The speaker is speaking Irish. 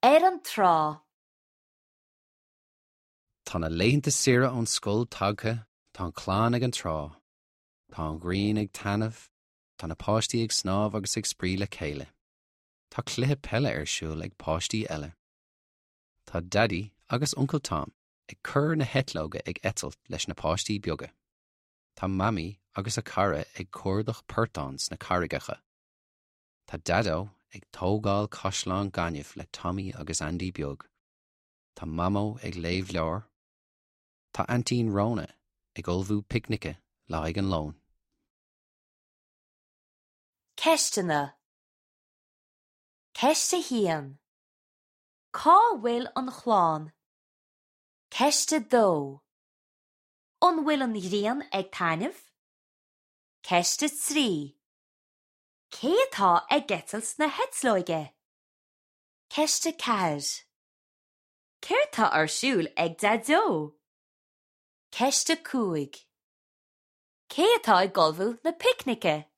Ar an trá. Tá na laethanta saoire ón scoil tagtha, tá an chlann ag an trá. Tá an ghrian ag taitneamh, tá na páistí ag snámh agus ag spraoi le chéile. Tá cluiche peile ar siúl ag páistí eile. Tá Daidí agus Uncail Tom ag cur na heitleoga ag eitilt leis na páistí beaga. Tá Mamaí agus a cara ag cuardach portán sna carraigeacha. Tá Daideo ag tógáil caisleán gainimh le Tommy agus Andy beag. Tá Mamó ag léamh leabhair. Tá Aintín Rhona ag ullmhú picnice le haghaidh an lóin. Ceisteanna Ceist 1. Cá bhfuil an chlann? Ceist 2. An bhfuil an ghrian ag taitneamh? Ceist 3. Cé atá ag eitilt na heitleoige? Ceist 4. Céard tá ar siúl ag Daideo? Ceist 5. Cé atá ag ullmhú na picnice?